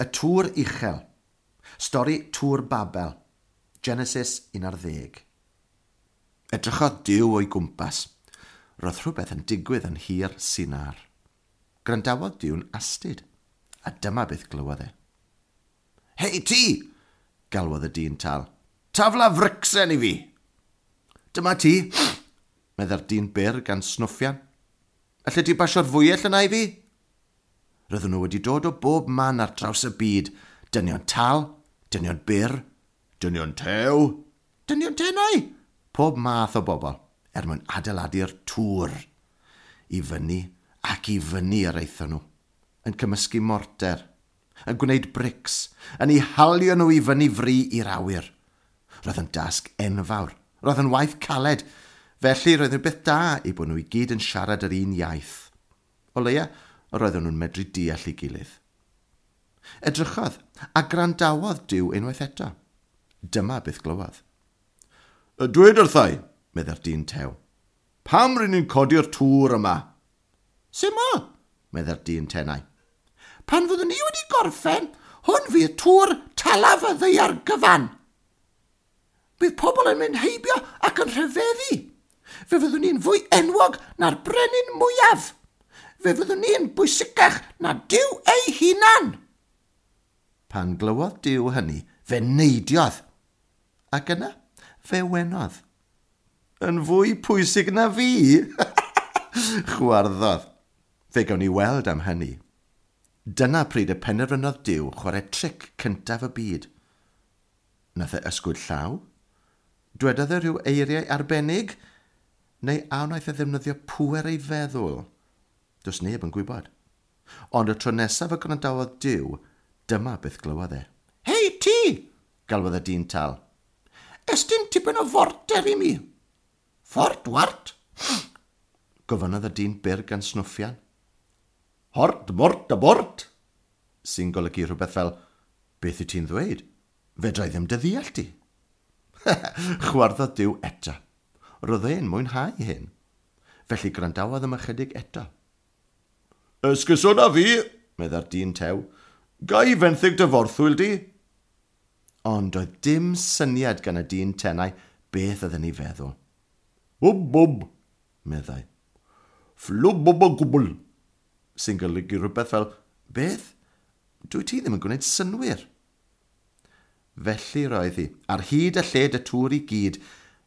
Y Tŵr Uchel. Stori Tŵr Babel. Genesis 11. Edrychodd Duw o'i gwmpas. Roedd rhywbeth yn digwydd yn hir Sinar. Gwrandawodd Duw'n astud, a dyma beth glywodd e. Hei ti! galwodd y dyn tal. Tafla fricsen i fi! Dyma ti, meddai'r dyn byr gan snwffian. Alle ti basio'r fwyell yna i fi? Roedden nhw wedi dod o bob man ar draws y byd. Dynion tal, dynion byr, dynion tew, dynion tenau. Pob math o bobl, er mwyn adeiladu'r tŵr. I fyny ac i fyny yr aethon nhw, yn cymysgu morter, yn gwneud brics, yn eu halio nhw i fyny fri i'r awyr. Roedd yn dasg enfawr, roedd yn waith caled, felly roedd yn beth da eu bod nhw i gyd yn siarad yr un iaith. O leia, roedden nhw'n medru deall ei gilydd. Edrychodd a gwrandawodd Duw unwaith eto. Dyma beth glywodd. Dweud wrthai, meddai'r dyn tew. Pam rydyn ni'n codi'r tŵr yma? Syml, meddai'r dyn tenau. Pan fyddwn ni wedi gorffen, hwn fydd tŵr talaf y ddaear gyfan. Bydd pobl yn mynd heibio ac yn rhyfeddu. Fe fyddwn ni'n fwy enwog na'r brenin mwyaf. Fe fyddwn ni'n bwysicach na Duw ei hunan. Pan glywodd Duw hynny, fe neidiodd. Ac yna, fe wenodd. Yn fwy pwysig na fi! Chwarddodd. Fe gawn ni weld am hynny. Dyna pryd y penderfynodd Duw chwarae tric cyntaf y byd. Nath e ysgwyd llaw? Dwedodd e rhyw eiriau arbennig? Neu a wnaeth e ddefnyddio pŵer ei feddwl? Does neb yn gwybod. Ond y tro nesaf y gwrandawodd Duw, dyma beth glywodd e. Hei, ti! galwodd y dyn tal. Estyn tipyn o forter i mi. Fort wart? Gofynnodd y dyn byr gan snwffian. Hort, mort a bort! Sy'n golygu rhywbeth fel, beth wyt ti'n ddweud? Fedra i ddim dy ddeall di. Chwarddodd Duw eto. Roedd e'n mwynhau hyn. Felly gwrandawodd am ychydig eto. Esgusoda fi, meddai'r dyn tew. Ga i fenthyg dy forthwyl di? Ond doedd dim syniad gan y dyn tenau beth oedd yn ei feddwl. Bwb, bwb, meddai. Fflwb, bwb o gwbl, sy'n golygu rhywbeth fel, beth? Dwyt ti ddim yn gwneud synnwyr. Felly roedd hi, ar hyd a lled y tŵr i gyd,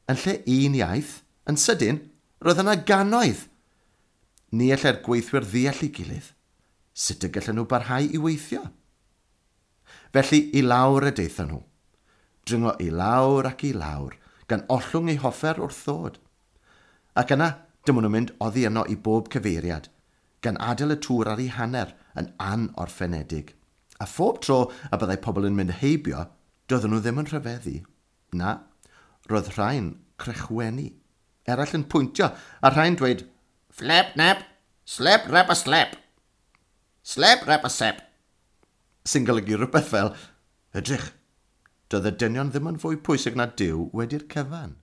yn lle un iaith, yn sydyn, roedd yna gannoedd. Ni allai'r gweithwyr ddeall ei gilydd. Sut y gallen nhw barhau i weithio? Felly i lawr y daethon nhw. Dringo i lawr ac i lawr, gan ollwng eu hoffer wrth ddod. Ac yna, dyma nhw'n mynd oddi yno i bob cyfeiriad, gan adael y tŵr ar ei hanner yn anorffenedig. A phob tro y byddai pobl yn mynd heibio, doedden nhw ddim yn rhyfeddu. Na, roedd rhai'n crechwenu, eraill yn pwyntio, a rhai'n dweud, Flep nap, slep rap a slep. Slep rap a sep. Sy'n golygu rhywbeth fel, edrych, doedd y dynion ddim yn fwy pwysig na Duw wedi'r cyfan.